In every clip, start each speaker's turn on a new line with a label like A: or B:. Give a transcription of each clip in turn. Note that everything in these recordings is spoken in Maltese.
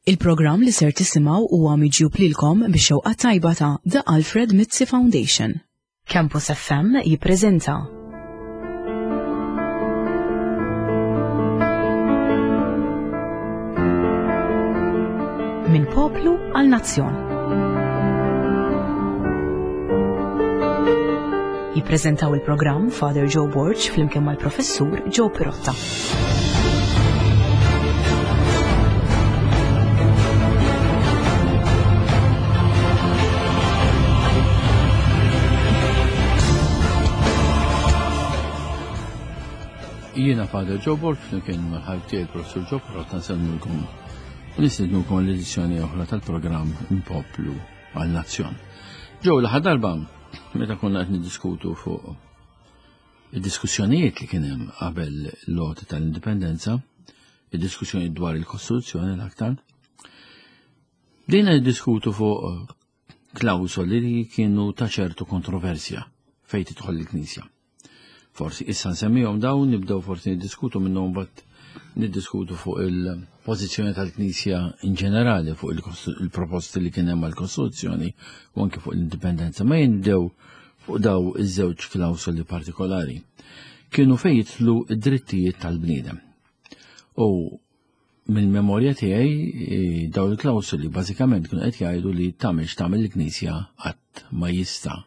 A: Il-programm li ser tisimgħu huwa miġjub lilkom bix-xewqa tajba ta' The Alfred Mizzi Foundation. Campus FM jippreżenta. Minn poplu għal nazzjon. Jippreżentaw il-programm Father Joe Borg flimkien mal-Professur Joe Pirotta.
B: Jiena Father Joe Borg flimkien mal-ħabib tiegħi Professur Joe Pirotta nsellmulkom u nistednukom l-edizzjoni oħra tal-programm Poplu għal Nazzjon. Ġew l-aħħar darba meta konna qed niddiskutu fuq id-diskussjonijiet li kien hemm qabel l-għoti tal-indipendenza, id-diskussjonijiet dwar il-Kostituzzjoni l-aktar, bdejna niddiskutu fuq klawsoli li kienu ta' ċertu kontroversja fejn tidħol il-Knisja. Forsi issa nsemmihom dawn, nibdew forsi niddiskutu minnhom mbagħad niddiskutu fuq il-pożizzjoni tal-Knisja in ġenerali fuq il-proposti li kien hemm għall-Kostituzzjoni u anke fuq l-indipendenza. Ma jindew fuq daw iż-żewġ klawsoli partikolari. Kienu fejn jidħlu id-drittijiet tal-bniedem. U mill-memorja tiegħi eh, daw il-klawsoli bażikament kienu qed jgħidu li tagħmel x'tagħmel il-Knisja qatt ma jista'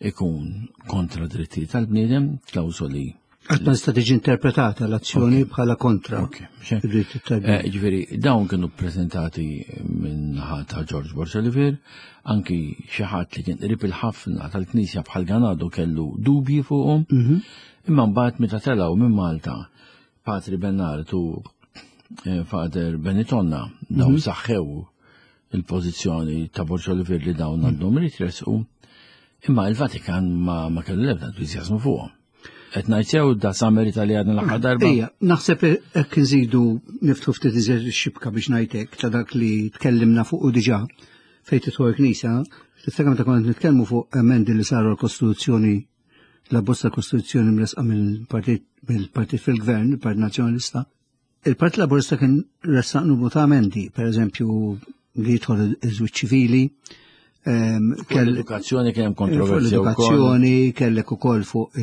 B: ikun kontra drittijiet tal-bniedem, klawsoli
C: Qatt ma tista' tiġi interpretata l-azzjoni bħala kontra id-drittijiet tal-bniedem.
B: Eh, ġifieri dawn kienu ppreżentati minn ta' George Borg Olivier, anki xi ħadd li kien qrib il-ħafna tal-Knisja bħal Ganado kellu dubji fuqhom, mhm. imma mbagħad meta telgħu minn Malta Patri Bernard u eh, Father Benitonna dawn mhm. saħħew il-pożizzjoni ta' Borġ Olivier li dawn mhm. għandhom ritresqu, imma il-Vatikan ma, ma kellu l-ebda entużjażmu fuqhom. Qed ngħid sew da samerita li għadna l-aħħar darba.
C: Ejja, naħseb hekk inżidu niftħu ftit iżjed ix-xibka biex ngħidlek ta' dak li tkellimna fuq u diġà fejn tidħol il-Knisja, tiftakar meta konna nitkellmu fuq emendi li saru l-Kostituzzjoni l-abbozz ta' Kostituzzjoni mresqa mill-partit mill-partit fil-gvern, il-Partit Nazzjonalista. Il-Partit Laburista kien ressaq numru ta' emendi, per eżempju li jidħol iż-żwieġ ċivili,
B: ehm, l-edukazzjoni kien hemm kontroversja.
C: L-edukazzjoni kellek ukoll fuq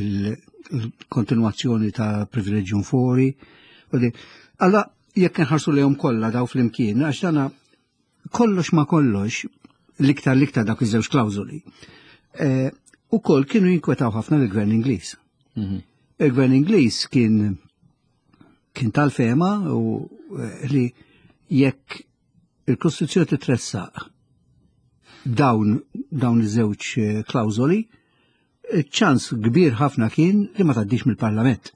C: il-kontinwazzjoni ta' privileġġjum fori. Allora, jekk nħarsu lejhom kollha daw flimkien, għax dana kollox ma kollox, l-iktar l-iktar dak iż-żewġ klawżoli, eh, ukoll kienu jinkwetaw ħafna l-gvern Ingliż. Mhm. Il-gvern Ingliż kien kien tal-fema u eh, li jekk il-Kostituzzjoni titressaq dawn dawn iż-żewġ eh, klawżoli, ċans kbir ħafna kien li ma tgħaddix mill-Parlament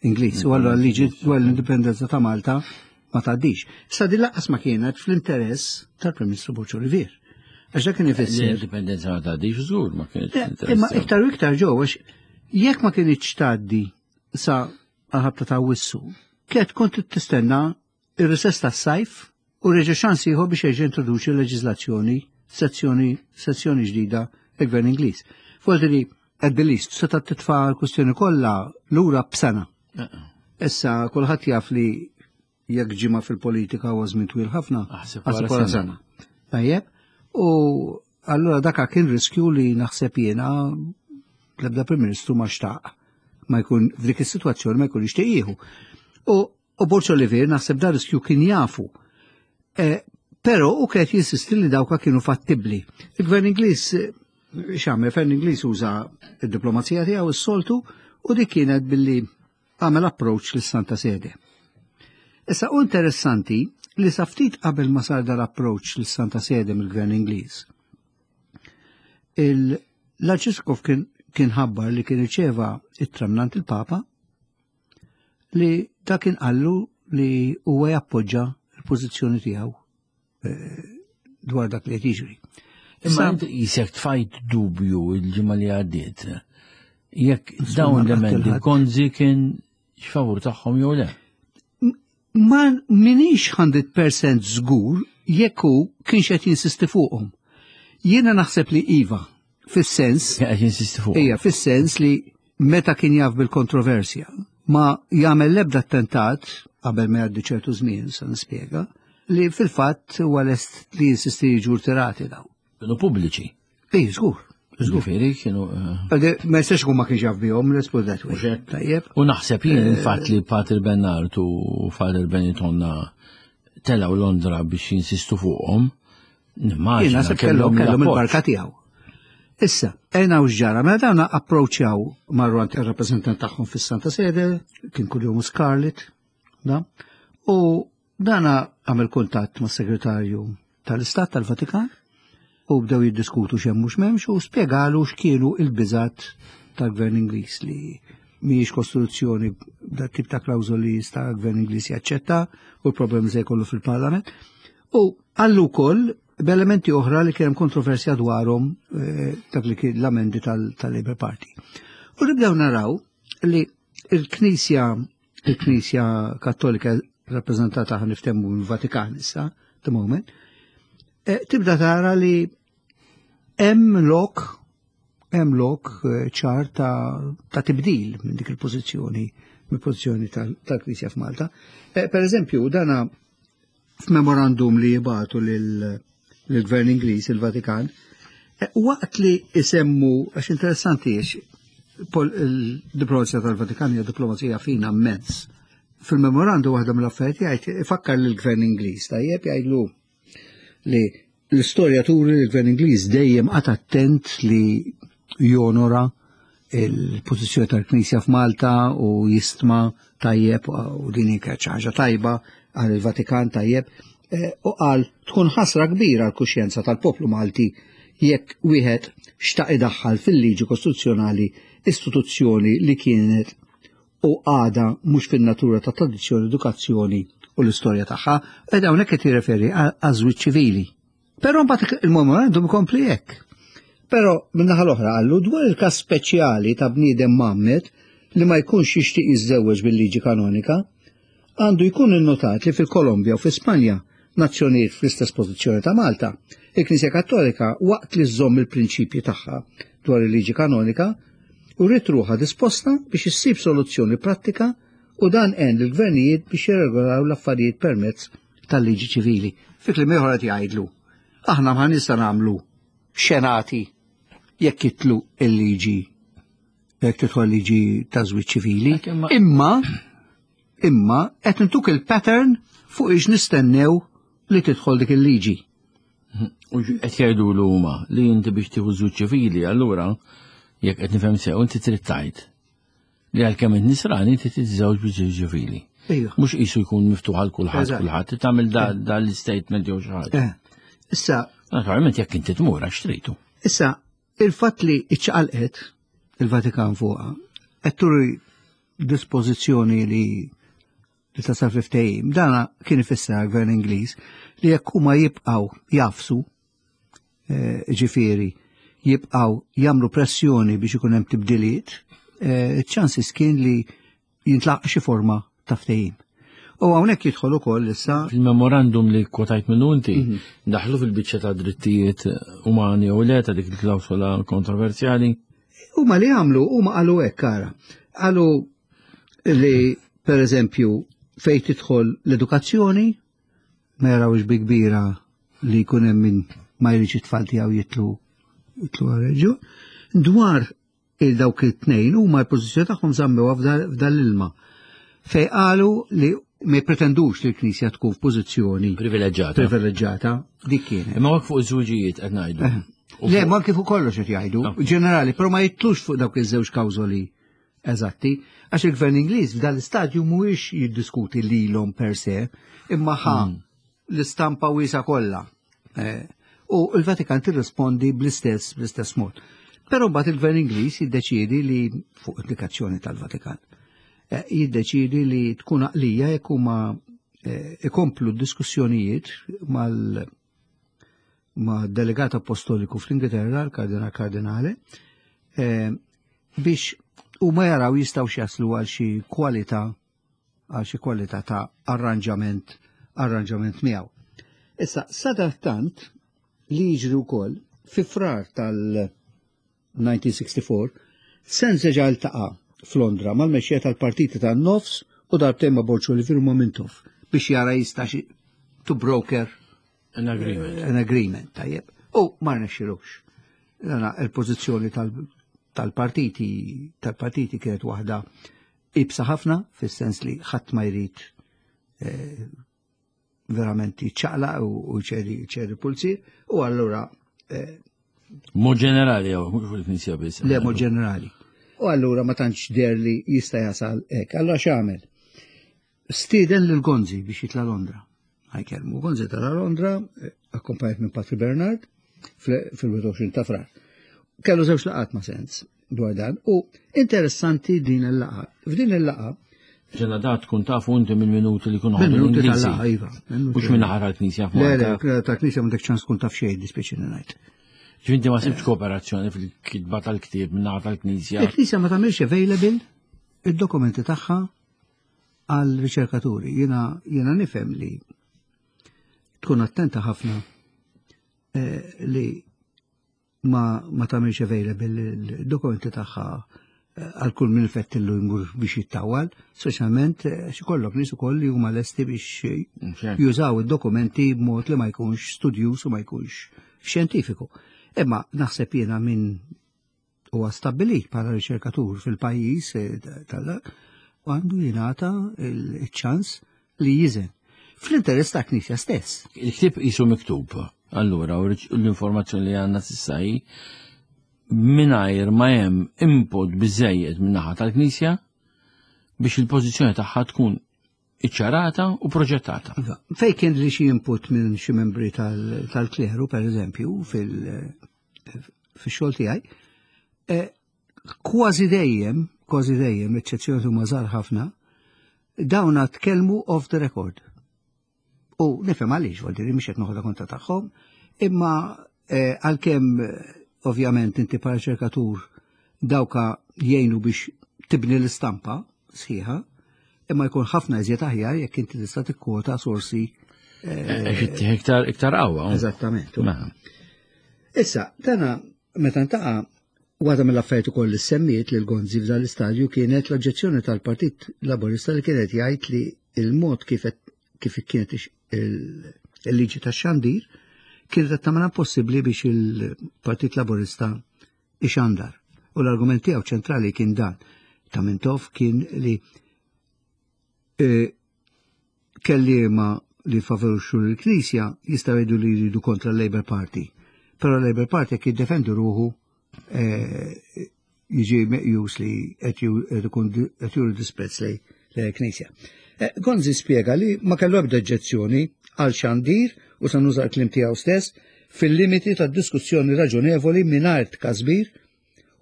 C: Ingliż. U allura liġi dwar l-indipendenza ta' Malta ma tgħaddix. Issa din laqqas ma kienet fl-interess tal-Prim Ministru Borġ Olivier. Għax dak kien ifisser.
B: L-indipendenza ma tgħaddix żgur ma kienet.
C: Eh, imma iktar u iktar ġew għax jekk ma kienx tgħaddi sa għal-ħabta ta' wissu, kienet kont tistenna ir-recess tas-sajf u reġa' ċans ieħor biex jerġa' introduċi leġiżlazzjoni sezzjoni sezzjoni ġdida il-Gvern Ingliż. Forsi li at the least seta' titfa' l-kwistjoni kollha lura b'sena. Issa kulħadd jaf li jekk ġimgħa fil-politika huwa żmien twil ħafna,
B: aħseb wara sena.
C: Tajjeb, u allura daka kien riskju li naħseb jiena l-ebda Prim Ministru ma xtaq ma jkun f'dik is-sitwazzjoni ma jkun jixtieq jieħu. U U Borg Olivier naħseb dar riskju kien jafu. E, pero u kienet jinsisti li dawka kienu fattibli. Il-gvern Ingliż eh, x'għamel, il-gvern Ingliż uża id-diplomazija tiegħu s-soltu u dik kienet billi għamel approach lis Santa Sede. Issa u interessanti li sa ftit qabel ma sar dal-approach lis Santa Sede mill-Gvern Ingliż. L-Arċisqof kien kien ħabbar li kien irċeva ittra mingħand il-Papa li dak kien qallu li huwa jappoġġa l-pożizzjoni tiegħu eh, dwar dak li qed jiġri.
B: Imma inti jisek tfajt dubju il-ġimgħa li għaddiet. Jekk dawn l-emendi Gonzi kien x'favur tagħhom jew le.
C: Ma minix 100% żgur jekk hu kienx qed jinsisti fuqhom. Jiena naħseb li iva, fis-sens.
B: Qed jinsisti fuqhom.
C: Ija, fis-sens li meta kien jaf bil-kontroversja, ma jagħmel l-ebda attentat qabel ma jgħaddi ċertu żmien, sa nispjega, li fil-fatt huwa lest li jinsisti jiġu rtirati daw.
B: Kienu pubbliċi.
C: Ej, żgur.
B: Ġifieri kienu.
C: Eh, ma jistax ikun ma kienx jaf bihom, let's put that way.
B: Tajjeb. U naħseb jien eh, il-fatt li Pater Bernard u Father Benitonna telgħu Londra biex jinsistu fuqhom, nimmaġina
C: kellhom kellhom il-barka tiegħu. Issa, ejna u ġara, mela dawna approċċjaw marru għand ir-rappreżentant tagħhom fis-Santa Sede, kien kuljum Scarlett, da, u Dana għamel kuntatt mas-Segretarju tal-Istat tal-Vatikan u bdew jiddiskutu x'hemm mhux m'hemmx u spjegalu x'kienu il-biżat tal-Gvern Ingliż li mhijiex kostituzzjoni dat tip ta' klawżoli jista' gvern Ingliż jaċċetta u l-problemi se jkollu fil-Parlament. U għallu wkoll b'elementi oħra li kien hemm kontroversja dwarhom eh, dak li kien l-amendi tal-Labour Party. U nibdew naraw li il-Knisja il-Knisja Kattolika rappreżentata ħan niftehmu mill-Vatikan issa, the moment, eh, tibda tara li hemm lok hemm lok eh, ċar ta', ta tibdil minn dik il-pożizzjoni mill-pożizzjoni tal-Knisja f'Malta. Eh, per eżempju, dana f'memorandum li jibatu lill-Gvern Ingliż, il-Vatikan, eh, waqt li isemmu, għax interessanti jiex, il-diplomazija tal-Vatikan hija diplomazija fina immens. Fil-memorandum waħda mill-affarijiet jgħid ifakkar lill-Gvern Ingliż, tajjeb jgħidlu li l-istorja turi li l-Gvern Ingliż dejjem qagħad attent li jonora il-pożizzjoni tal-Knisja f'Malta u jistma tajjeb u din hija xi ħaġa tajba għal il-Vatikan tajjeb eh, u qal tkun ħasra kbira għal kuxjenza tal-poplu Malti jekk wieħed xtaq idaħħal fil-liġi kostituzzjonali istituzzjoni li kienet u għada mhux fin-natura ta' tradizzjoni, edukazzjoni u l-istorja tagħha, ed hawnhekk qed jirreferi għaż-żwieġ ċivili. Però mbagħad il-memorandum ikompli hekk. Però min-naħa l-oħra qallu dwar il-każ speċjali ta' bniedem mgħammed li ma jkunx jixtieq jiżżewweġ bil-liġi kanonika, għandu jkun innotat li fil-Kolombja u fi Spanja, nazzjonijiet fl-istess pożizzjoni ta' Malta, il-Knisja Kattolika waqt li żżomm il-prinċipji tagħha dwar il-liġi kanonika, uriet ruħha disposta biex issib soluzzjoni prattika u dan għen lill-gvernijiet biex jirregolaw l-affarijiet permezz tal-liġi ċivili. Fi kliem ieħor qed jgħidlu, aħna ma nista' nagħmlu xenati jekk jitlu il-liġi jekk tidħol liġi ta' żwieġ ċivili, imma imma qed intuk il-pattern fuq ix nistennew li tidħol dik il-liġi.
B: U qed jgħidu l huma li inti biex tieħu żwieġ ċivili, allura jekk qed nifhem sew inti trid tgħid li għalkemm int nisrani inti tiżżewġ bi żwieġ ċivili. Mhux qisu jkun miftuħ għal kulħadd kulħadd tagħmel da l-istatement jew xi ħaġa.
C: Eh. Issa.
B: Naturalment jekk inti tmur għax tridu.
C: Issa, il-fatt li iċċaqalqet il-Vatikan fuqha qed turi dispożizzjoni li li tasal fi ftehim. Dana kien ifisser għall-Gvern Ingliż li jekk huma jibqgħu jafsu eh, ġifieri jibqgħu jagħmlu pressjoni biex ikun hemm tibdiliet, eh, ċ-ċansis kien li jintlaq xi forma ta' ftehim. U hawnhekk jidħol ukoll issa.
B: Fil-memorandum li kwotajt minnu inti, mhm. daħlu fil-biċċa ta' drittijiet umani u le ta' dik il-klawsola kontroversjali.
C: Huma li għamlu, huma qalu hekk ara. Qalu li per eżempju fejn tidħol l-edukazzjoni ma jarawx bi kbira li jkun hemm min ma jridx it-tfal tiegħu jitlu jitlu għal Dwar il dawk it-tnejn huma l-pożizzjoni tagħhom żammewha f'dan l-ilma fej qalu li ma jipretendux li l-Knisja tkun f'pożizzjoni
B: privileġġjata.
C: Privileġġjata, dik kienet.
B: Imma fuq iż-żwiġijiet qed ngħidu.
C: Eh. Le, ma kif kollox qed jgħidu, ah. ġenerali, però ma jitlux fuq dawk iż-żewġ kawżoli eżatti, għax il-gvern Ingliż f'dan l-istadju mhuwiex jiddiskuti lilhom per se, imma ħa mm. l-istampa wiesa kollha. Eh, u l-Vatikan tirrispondi bl-istess bl-istess mod. Però mbagħad il-Gvern Ingliż jiddeċiedi li fuq indikazzjoni tal-Vatikan eh, jiddeċiedi li tkun għaqlija jekk huma eh, ikomplu d-diskussjonijiet mal ma' delegat apostoliku fl-Ingilterra, l-Kardinal Kardinale, biex huma jaraw jistgħu jaslu għal xi kwalità għal xi kwalità ta' arranġament arranġament miegħu. Issa, sadattant li jiġri wkoll fi frar tal-1964, Sen seġa ltaqa' f'Londra mal-mexxejja tal-partiti tan-nofs u darbtejn ma' Borg Olivier u ma' Mintoff biex jara jista' to broker
B: an agreement.
C: An agreement, tajjeb. U ma rnexxilux. Dana il-pożizzjoni tal-partiti tal-partiti kienet waħda ibsa ħafna fis-sens li ħadd ma jrid eh, verament jiċċaqlaq u ċedi pulzier u allura eh,
B: Mod ġenerali jew mhux fil-Knisja biss.
C: Le mod ġenerali. U allura ma tantx der li jista' jasal hekk. Allura x'għamel? Stieden lil Gonzi biex jitla' Londra. Ħajkelmu Gonzi tala Londra, eh, akkompanjat minn Patri Bernard fil-21 ta' frar. Kellu żewġ laqat ma' sens dwar dan u interessanti din il-laqa. F'din il-laqa
B: Ġena da tkun tafu inti mill-minuti li kunu
C: ħadu Minuti tal-laqa, iva.
B: Mux minn ħara l-knisja
C: Le, le, tal-knisja m'għandek ċans tkun taf xejn, dispjaċini ngħid.
B: Ġvinti ma sibx kooperazzjoni fil-kitba tal-ktieb minn ħara tal-knisja.
C: Il-knisja ma tagħmilx available id-dokumenti tagħha għal riċerkaturi. Jiena jiena nifhem li tkun attenta ħafna eh, li ma, ma tagħmilx available il-dokumenti tagħha eh, għal kull min fettillu jmur biex jittawal, speċjalment eh, xi kollok nies ukoll li huma lesti biex eh, jużaw id-dokumenti b'mod li ma jkunx studjuż u ma jkunx xjentifiku. Imma naħseb jiena minn huwa stabbilit bħala riċerkatur fil-pajjiż tal għandu jingħata il-ċans li jiżen. Fl-interess ta' Knisja stess.
B: Il-ktieb qisu miktub, allura, u l-informazzjoni li għandna s'issa hi mingħajr ma hemm input biżejjed min-naħa tal-Knisja biex il-pożizzjoni tagħha tkun iċċarata u proġettata.
C: Iva, fej kien li xi input minn xi membri tal-kleru, per eżempju, fil-xogħol tiegħi, eh, kważi dejjem, kważi dejjem, eċċezzjoni huma żgħar ħafna, dawna tkellmu off the record. U nifhem għaliex, vuol dire mhix qed noħodha kontra tagħhom, imma eh, għalkemm eh, ovvjament inti bħala riċerkatur dawka jgħinu biex tibni l-istampa sħiħa, imma jkun ħafna iżjed aħjar jekk inti tista' tikkwota sorsi.
B: Eh, iktar iktar qawwa.
C: Eżattament. Mela. Issa, dana meta ntaqa' Waħda mill-affarijiet ukoll li semmiet lil Gonzi f'dan l-istadju kienet l-oġġezzjoni tal-Partit Laburista li kienet jgħid li il-mod kif kif kienet il-liġi tax-xandir kienet qed tagħmilha possibbli biex il-Partit Laburista ixandar. U l-argument tiegħu ċentrali kien dan ta' Mintoff kien li e, kelliema li favorixxu l-Knisja jistgħu jgħidu li jridu kontra l-Labour Party. Però l-Labour Party jekk jiddefendu ruħu eh, jiġi meqjus li qed juru disprezz lej l-Knisja. Eh, Gonzi spjega li ma kellu ebda oġġezzjoni għal xandir u sa nuża l-klim tiegħu stess fil-limiti ta' diskussjoni raġonevoli mingħajr tkasbir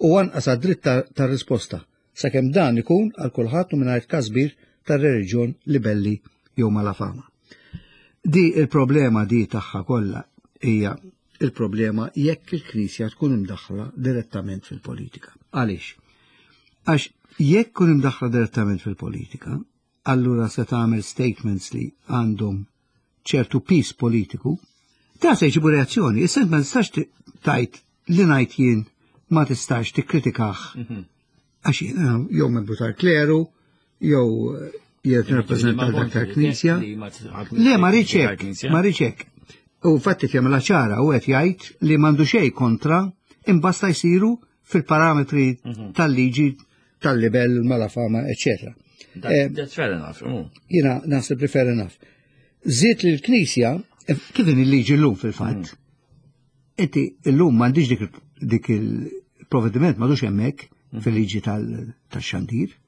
C: u anqas għad-dritt ta' risposta sakemm dan ikun għal kulħadd u mingħajr tkasbir tar-reliġjon, libelli jew malafama. Di il-problema di tagħha kollha hija il-problema jekk il-Knisja tkun imdaħħla direttament fil-politika. Għaliex? Għax jekk kun imdaħħla direttament fil-politika, allura se tagħmel statements li għandhom ċertu pis politiku, ta' se jġibu reazzjoni. Issa ma tistax tajt li ngħid jien ma tistax tikkritikah. Mhm. Għax jiena jew membru tal-kleru, jew eh, jien nirrappreżenta dak tal-Knisja. Le ma rridx hekk, ma rridx hekk. U fatti jagħmilha ċara u qed jgħid li m'għandu xejn kontra imbasta jsiru fil-parametri mhm. tal-liġi tal-libel, malafama, eccetera.
B: Eh, that's fair enough. Mm.
C: Jina naħseb li fair enough. Zit li l-Knisja, eh, kif il-liġi l-lum fil-fatt, mm. inti l-lum m'għandix dik il-provvediment m'għadux hemmhekk mm. fil-liġi tal-xandir.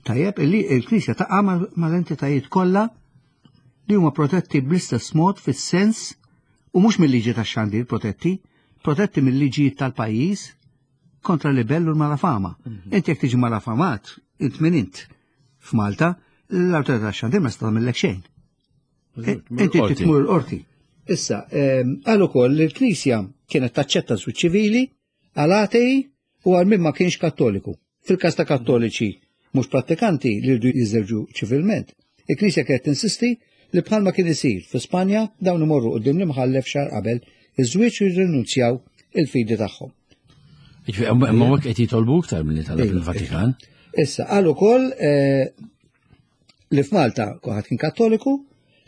C: Tajjeb, il-Knisja taqa' mal-entitajiet kollha li huma protetti bl-istess mod fis-sens u mhux mill-liġi tax-xandir protetti, protetti mill-liġijiet tal-pajjiż kontra libell u l-malafama. Mhm. Inti jekk tiġi malafamat, int min int f'Malta, l-awtorità tax-xandir ma tista' tagħmellek xejn. Inti tmur l-qorti. Issa, ehm, għal ukoll li l-Knisja kienet taċċetta żwieġ ċivili għal atei u għal min ma kienx kattoliku. Fil-każ ta' kattoliċi mhux prattikanti li rridu jiżżewġu ċivilment, il-Knisja kienet tinsisti li bħalma kien isir fi Spanja dawn imorru quddiem l-imħallef xahar qabel iż-żwieġ u jirrinunzjaw il-fidi tagħhom.
B: Ma hekk qed jitolbu iktar milli talab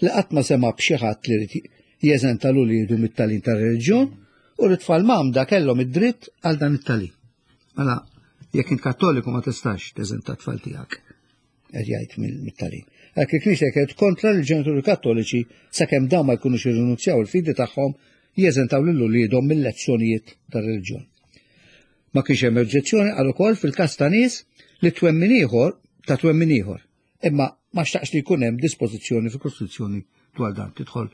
C: li qatt ma sema' b'xi ħadd li rid jeżenta l uliedu mit-tagħlim tar-reliġjon u li tfal mgħammda kellhom id-dritt għal dan it-tagħlim. Mela, jekk int Kattoliku ma tistax teżenta t-tfal tiegħek, qed jgħid mit-tagħlim. Hekk il-Knisja kienet kontra li l-ġenituri Kattoliċi sakemm dawn ma jkunux irrinunzjaw il-fidi tagħhom jeżentaw lil uliedhom mill-lezzjonijiet tar-reliġjon. Ma kienx hemm oġġezzjoni qal ukoll fil-każ ta' nies li twemmin ieħor ta' twemmin ieħor. Imma ma xtaqx li jkun hemm dispożizzjoni fil-Kostituzzjoni dwar dan tidħol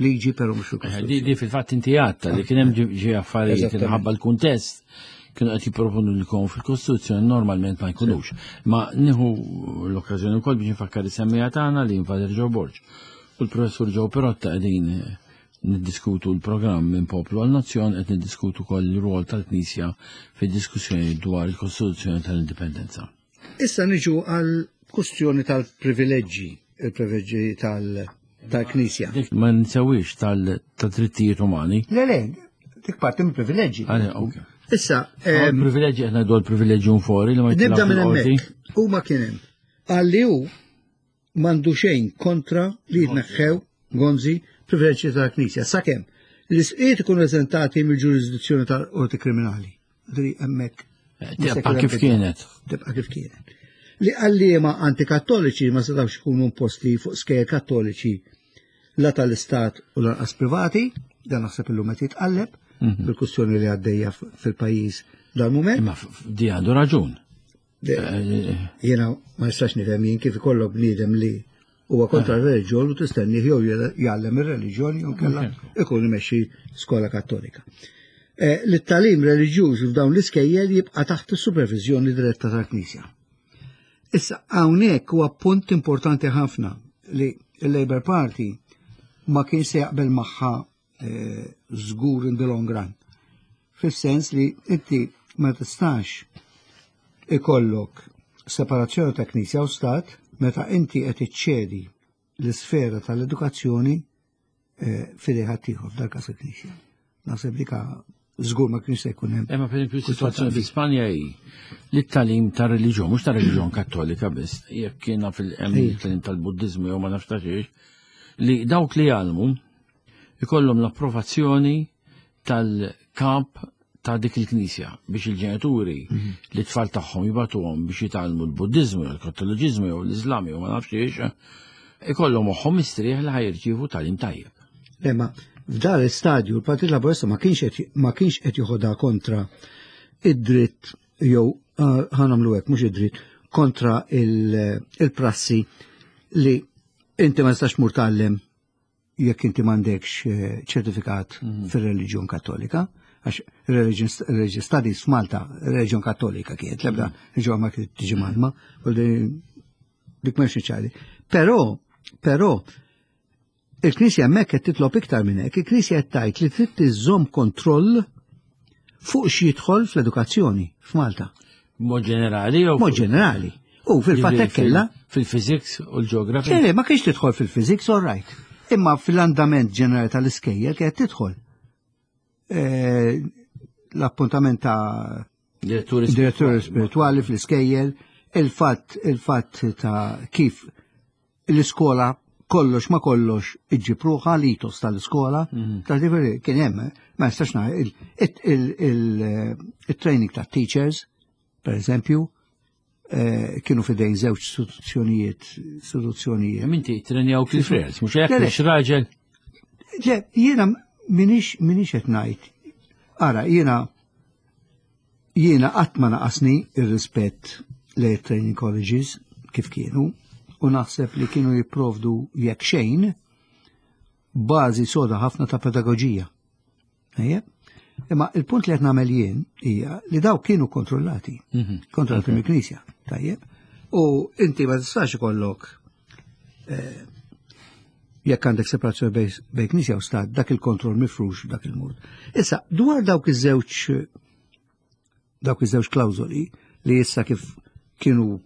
C: liġi però mhux
B: fil-Kostituzzjoni. Di fil-fatt inti għadta li kien hemm ġi affarijiet minħabba l-kuntest kienu qed jipproponu li jkunu fil-Kostituzzjoni normalment ma jkunux. Ma nieħu l-okkażjoni wkoll biex nfakkar is-semmija tagħna li Father Joe Borg u l-Professur Joe Perotta qegħdin niddiskutu l-programm minn poplu għal nazzjon qed niddiskutu wkoll ir-rwol tal-Knisja fid-diskussjoni dwar il-Kostituzzjoni tal-Indipendenza.
C: Issa niġu għal kustjoni tal-privileġġi, il-privileġġi tal-Knisja.
B: Dik ma nsewwix tal-drittijiet umani.
C: Le, le, dik parti mill privileġġi.
B: Issa, privileġġi qed ngħidu l-privileġġi fuori li ma
C: Nibda minn hemmhekk. Huma kien hemm. Għalli hu m'għandu xejn kontra li jitneħħew Gonzi privileġġi tal-Knisja sakemm l-isqiet ikunu eżentati mill-ġurisdizzjoni tal-qorti kriminali. Dri hemmhekk.
B: Eh, tibqa' kif kienet.
C: Tibqa' kif kienet. Li għalliema antikattoliċi ma setgħux ikunu imposti fuq skejjel kattoliċi la tal-istat u lanqas privati, dan naħseb illum qed jitqalleb mhm. bil-kwistjoni li għaddejja fil-pajjiż dal-mument.
B: Imma di għandu raġun.
C: Eh, jiena ma nistax nifhem jien kif ikollok bniedem li huwa kontra eh. r-reliġjon u tistenni jew jgħallem ir-reliġjon jew kellha ikun imexxi skola kattolika. Eh, li t-talim reliġjuż f'dawn l-iskejjel jibqa' taħt is-supervizjoni diretta tal-Knisja. Issa hawnhekk huwa punt importanti ħafna li l-Labour Party ma kien se jaqbel magħha eh, żgur in the long run. Fis-sens li inti ma tistax ikollok separazzjoni ta' knisja u stat meta inti qed iċċedi l-isfera tal-edukazzjoni eh, fidej ħaddieħor f'dal każ il-knisja. Naħseb dik żgur ma kienx se jkun hemm.
B: Imma pereżempju s-sitwazzjoni fi Spanja hi li t-talim ta' reliġjon, mhux ta' reliġjon kattolika biss, jekk kiena fil-hemm tal-Buddiżmu jew ma nafx ta' xiex, li dawk li jgħallmu ikollhom l-approvazzjoni tal-kap ta' dik il-knisja biex il-ġenituri mhm. li tfal tagħhom jibatuhom biex jitgħallmu l-Buddiżmu jew l-Kattoliċiżmu jew l-Iżlam jew ma nafx ix, ikollhom moħħhom mistrieħ li ħajrċievu tagħlim tajjeb.
C: Imma f'dan l-istadju l-Partit Laburista ma kienx ma kienx qed joħodha kontra id-dritt jew ah, ħanamlu hekk mhux id-dritt kontra il-prassi li inti ma tistax mur tgħallem jekk inti m'għandekx eh, ċertifikat mhm. fir-reliġjon kattolika, għax religion studies f'Malta, reliġjon kattolika kienet, l-ebda mhm. reliġjon ma kienet tiġi malma, u dik m'hemmx ċari. Però, però, il-Knisja hemmhekk qed titlob iktar minn hekk, il-Knisja qed tgħid li trid tiżżomm kontroll fuq x'jidħol fl-edukazzjoni f'Malta.
B: Mod ġenerali jew?
C: Mod ġenerali. U fil-fatt hekk kellha.
B: Fil-physics u l-ġeografija?
C: Le, ma kienx tidħol fil-physics, all right. Imma fil-andament ġenerali tal-iskejjel kienet tidħol. Eh, l-appuntament ta' diretturi spirituali fl-iskejjel, il-fatt il-fatt ta' kif l-iskola kollox ma kollox iġġib ruħha l-itos tal-iskola, mhm. ta' ġifieri kien hemm, ma nistax il-training ta' teachers, per eżempju, eh, kienu fidejn żewġ istituzzjonijiet, istituzzjonijiet.
B: Minti trenjaw kif frers, mhux hekk mhux raġel.
C: Le, jiena minix minix qed ngħid. Ara, jiena Jiena qatt ma naqasni r-rispett lejn training colleges kif kienu u naħseb li kienu jipprovdu jekk xejn bażi soda ħafna ta' pedagoġija. Ejja? Imma il-punt li qed nagħmel jien hija li daw kienu kontrollati, mhm. kontrollati mill-Knisja, tajjeb. U inti ma tistax ikollok eh, jekk għandek separazzjoni bejn knisja u stat, dak il-kontroll mifrux dak il-mod. Issa, dwar dawk iż-żewġ dawk iż-żewġ klawżoli li issa kif kienu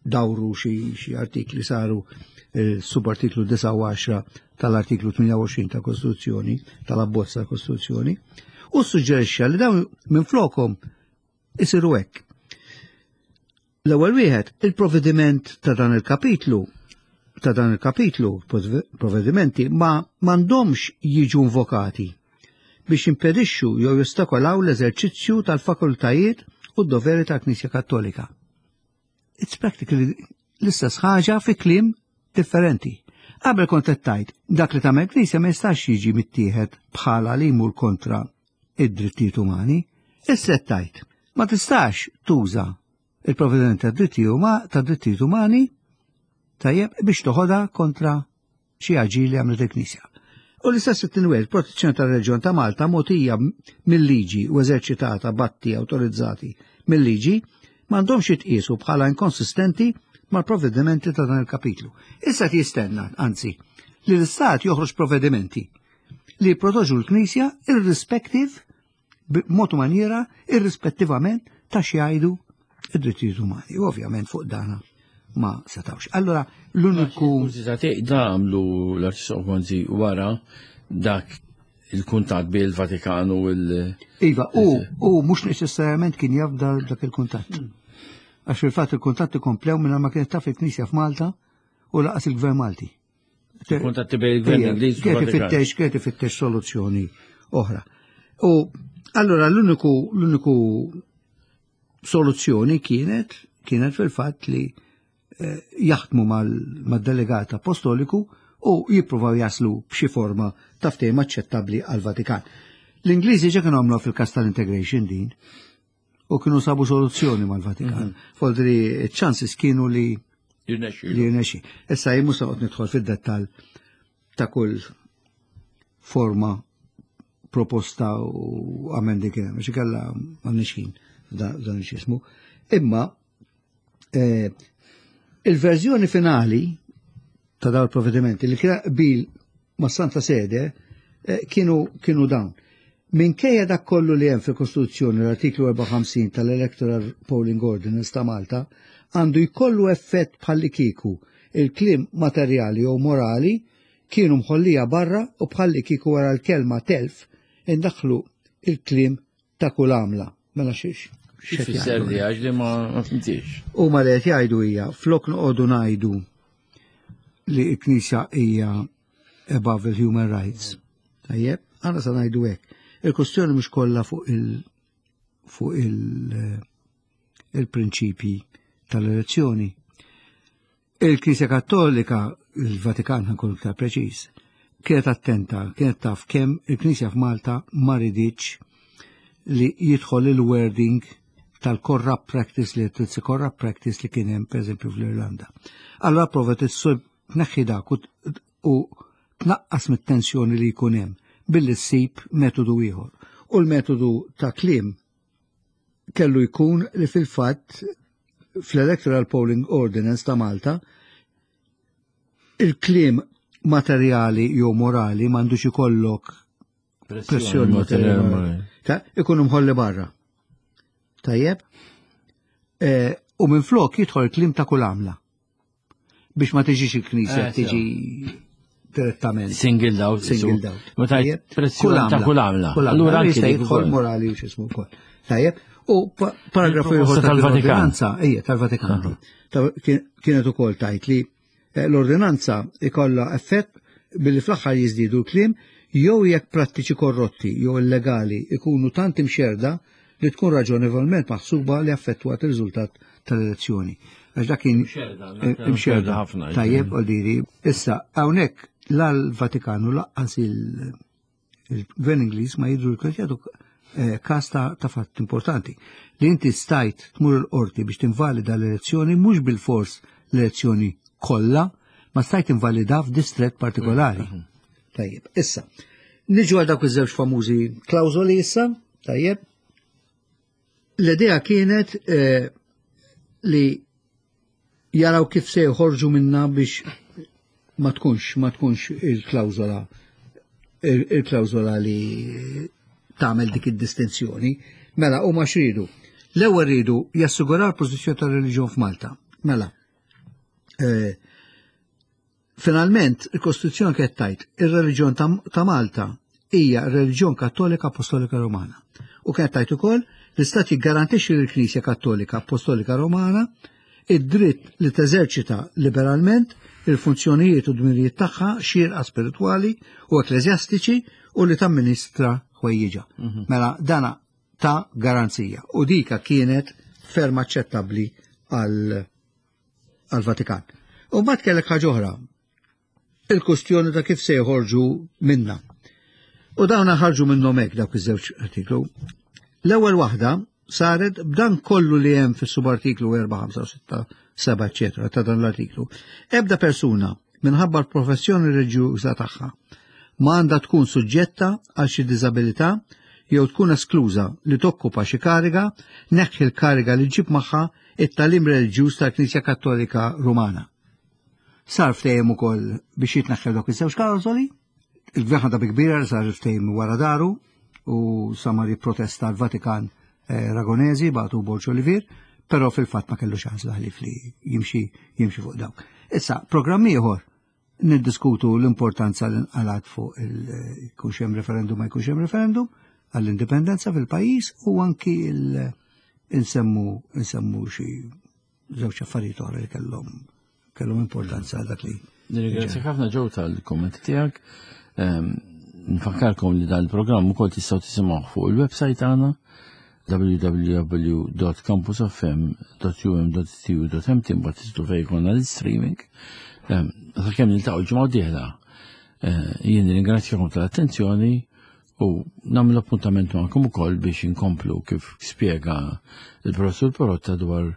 C: dawru xi artikli saru eh, subartiklu 9 tal-artiklu 28 ta' Kostituzzjoni, tal-abbozz ta' Kostituzzjoni, u suġġerixxa li dawn minn flokom isiru hekk. L-ewwel wieħed, il-provvediment ta' dan il-kapitlu ta' dan il-kapitlu, provvedimenti, ma m'għandhomx jiġu invokati biex jimpedixxu jew jostakolaw l-eżerċizzju tal-fakultajiet u d-doveri tal-Knisja Kattolika. It's practically l-istess ħaġa fi kliem differenti. Qabel kont qed tgħid dak li tagħmel Knisja ma jistax jiġi mittieħed bħala li jmur kontra id-drittijiet umani. Issa qed tgħid ma tistax tuża il-provvediment ta' drittijiet umani tajjeb biex toħodha kontra xi aġir li għamlet il-Knisja. U l-istess it-tinwel, protezzjoni tal-Reġjon ta' Malta mogħtija mill-liġi u eżerċitata b'atti awtorizzati mill-liġi m'għandhomx jitqiesu bħala inkonsistenti mal-provvedimenti ta' dan il-kapitlu. Issa qed jistenna, anzi, li l-Istat joħroġ provvedimenti li jipprotoġu l-Knisja irrispective b'mod u maniera irrispettivament ta' xi jgħidu id-drittijiet umani. U ovvjament fuq dana ma setawx. Allora l-uniku.
B: Da għamlu l-Arċisqof Gonzi wara dak il-kuntat bil Vatikan u il-
C: Iva, u mhux neċessarjament kien jaf dak il-kuntatt. Għax fil-fatt il-kuntatt ikomplew minn ma kienet taf il-Knisja f'Malta u lanqas il-Gvern Malti.
B: Kuntatti bejn il-Gvern Ingliż u
C: Kienet
B: l-Vatikan.
C: ifittex, kienet ifittex soluzzjoni oħra. U allora l-uniku soluzzjoni kienet fil-fatt li jaħdmu mal-delegat apostoliku u jippruvaw jaslu b'xi forma ta' ftehim aċċettabbli għal-Vatikan. L-Ingliżi ġa kienu għamlu fil-kas tal-integration din u kienu sabu soluzzjoni mal-Vatikan. Foldri chances kienu li
B: Jirnexxi.
C: li jirnexxi. Issa jien mhux se noqgħod nidħol fid-dettall ta' kull forma proposta u amendi kien hemm, għax ikella m'għandniex ħin dan x'ismu. Imma il-verżjoni finali ta' dawn il-provvedimenti li kien qbil ma' Santa Sede kienu dawn. Minkejja dak kollu li hemm fil-Kostituzzjoni, l-artiklu 54 tal-Electoral Polling Ordinance ta' Malta għandu jkollu effett bħalli kieku il-kliem materjali jew morali kienu mħollija barra u bħalli kieku wara l-kelma telf indaħlu il-kliem ta' kull għamla. Mela xiex.
B: Xi fisser li għax li ma fimtix.
C: U ma li qed jgħidu hija flok noqogħdu ngħidu li l-Knisja hija above the human rights. Tajjeb, għana sa ngħidu hekk. Il-kustjoni mhux kollha fuq il-prinċipji tal-elezzjoni. Il-Knisja Kattolika, il-Vatikan ħankun iktar preċiż, kienet attenta, kienet taf kemm il-Knisja f'Malta ma riditx li jidħol il-wording tal-corrupt practice li t corrupt practice li kien hemm pereżempju fl-Irlanda. Allora provat issib tneħħi dak u tnaqqas mit-tensjoni li jkun hemm billi ssib metodu ieħor. U l-metodu ta' kliem kellu jkun li fil-fatt fl-Electoral Polling Ordinance ta' Malta il-kliem materjali jew morali m'għandux ikollok pressjoni materjali. Ta' ikunu mħolli barra. Tajjeb? U minn flok jidħol kliem ta' kull għamla. Biex ma tiġix il-Knisja tiġi direttament.
B: Single out.
C: Single out.
B: Ma tajt
C: Tajjeb?
B: pressjoni ta' kull għamla.
C: Kull għamla.
B: Allura anki
C: Jista'
B: dik
C: jidħol
B: ukoll.
C: morali u x'ismu wkoll. Tajjeb? U paragrafu
B: Il-proposta
C: ieħor
B: tal-Vatikan.
C: tal-ordinanza, ejja, tal-Vatikan. Kienet ukoll tajt li l-ordinanza ikollha effett billi fl-aħħar jiżdiedu l-kliem jew jekk prattiċi korrotti jew illegali ikunu tant imxerda li tkun raġonevolment maħsuba li affettwat il-riżultat tal-elezzjoni. Għax dak kien
B: Imxerda,
C: imxerda
B: imxerda ħafna,
C: Tajjeb, għaldiri. Issa, hawnhekk la l-Vatikan u lanqas il-Gvern Ingliż ma jidru l-jagħtu każ ta' fatt importanti. Li inti stajt tmur il-qorti biex tinvalida l-elezzjoni mhux bil-fors l-elezzjoni kollha, ma stajt invalida f'distret partikolari. Tajjeb, issa, niġu għal dawk iż-żewġ famużi klawżoli issa, tajjeb. L-idea kienet li jaraw kif se joħorġu minna biex ma tkunx il-klawżola li tagħmel dik id-distinzjoni. Mela, huma x'ridu? L-ewwel ridu jassiguraw l-pożizzjoni tar-reliġjon f'Malta. Mela, finalment il-Kostituzzjoni kienet tajt ir-reliġjon ta' Malta hija r-reliġjon Kattolika Apostolika Romana. U kienet tajt ukoll l-Istat jiggarantixxi lill-Knisja Kattolika Apostolika Romana id-dritt li teżerċita liberalment il-funzjonijiet u dmirijiet tagħha xierqa spiritwali u ekkleżjastiċi u li tamministra ħwejjiġha. Mela dana ta' garanzija u dika kienet ferm aċċettabbli għal-Vatikan. U mbagħad kellek ħaġa oħra, il-kustjoni ta' kif se joħorġu minna. U dawn ħarġu minnhom hekk dawk iż-żewġ artiklu. L-ewwel waħda saret b'dan kollu li hemm fis-subartiklu 4, 5, 6, 7, eċetera ta' dan l-artiklu. Ebda persuna minħabba l-professjoni reliġjuża tagħha ma għandha tkun suġġetta għal xi diżabilità jew tkun eskluża li tokkupa xi kariga, neħħi l-kariga li ġib magħha it-talim reliġjuż tal-Knisja Kattolika Rumana. Sar ftehim ukoll biex jitneħħew dawk iż-żewġ klawżoli. Il-gvern ħadha bi kbira li sar ftehim wara daru u samar jipprotesta l-Vatikan eh, Ragonesi bagħtu Borġ Olivier, però fil-fatt ma kellux għażla ħlief li jimxi jimxi fuq dawk. Issa, programm ieħor niddiskutu l-importanza li nqalat fuq il-jkunx hemm referendum ma jkunx hemm referendum għall-indipendenza fil-pajjiż u anki il-insemmu insemmu xi żewġ affarijiet oħra li kellhom kellhom importanza għal dak li.
B: Nirringrazzjak ħafna ġew tal-kommenti tiegħek. Ehm, nfakkarkom li dan il-programm ukoll tistgħu tisimgħu fuq il-website tagħna www.campusfm.um.tu.mt mbagħad tistgħu fejn jkollna l-streaming. Ehm, sakemm niltaqgħu ġimgħa d-dieħla. Eh, jien nirringrazzjakom tal-attenzjoni U nagħmlu appuntament magħkom ukoll biex inkomplu kif spjega il-professur Porotta dwar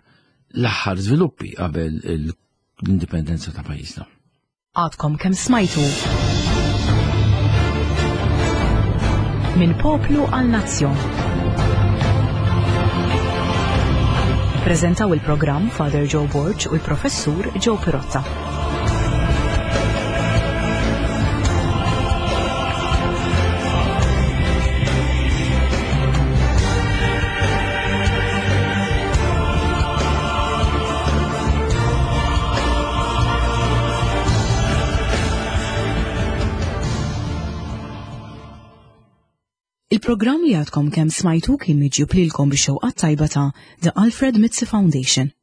B: l-aħħar żviluppi qabel l-indipendenza ta' pajjiżna.
A: Għadkom kemm smajtu minn poplu għal nazzjon. Prezentaw il-programm Father Joe Borg u l-Professur Joe Pirotta. Il-programm li għadkom kemm smajtu kien miġjub lilkom bix-xewqat tajba ta' The Alfred Mizzi Foundation.